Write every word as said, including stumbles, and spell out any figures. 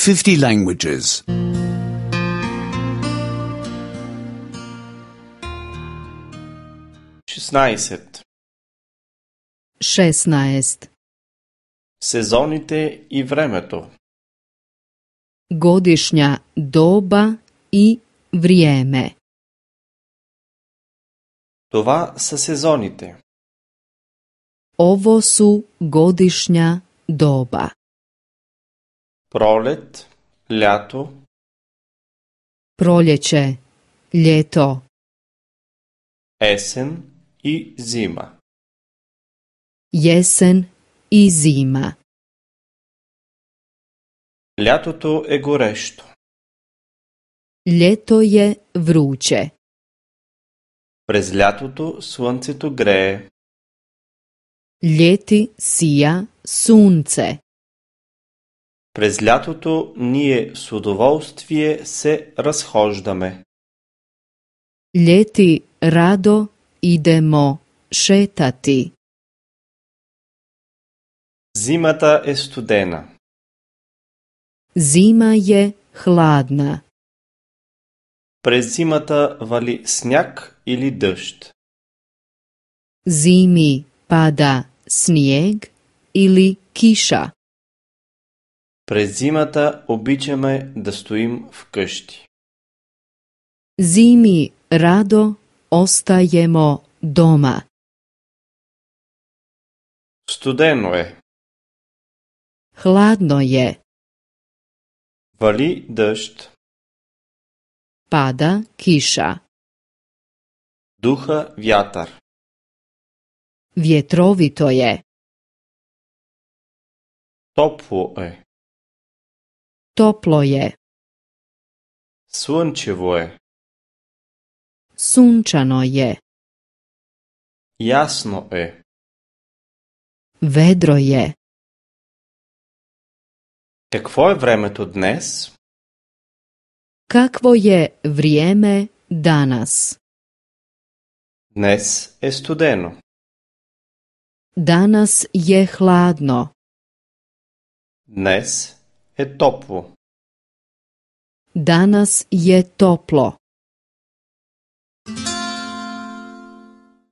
fifty languages. шестнайсет. šesnaest. Сезоните и времето. Godišnja doba i vrijeme. Това са сезоните. Ovo su godišnja doba. Пролет, лято, Proljeće, ljeto, есен и зима. jesen i zima. Лятото е горещо. Ljeto je vruće. През лятото слънцето грее. Ljeti sija sunce. През лятото ние с удоволствие се разхождаме. Ljeti rado idemo šetati. Зимата е студена. Zima je hladna. През зимата вали сняг или дъжд. Zimi pada snijeg ili kiša. През зимата обичаме да стоим вкъщи. Zimi rado ostajemo doma. Студено е. Hladno je. Вали дъжд. Pada kiša. Духа вятър. Vjetrovito je. Топло е. Toplo je. Слънчево е. Sunčano je. Ясно е. Vedro je. Какво е времето днес? Kakvo je vrijeme danas? Днес е студено. Danas je hladno. Днес е топло. Danas je toplo.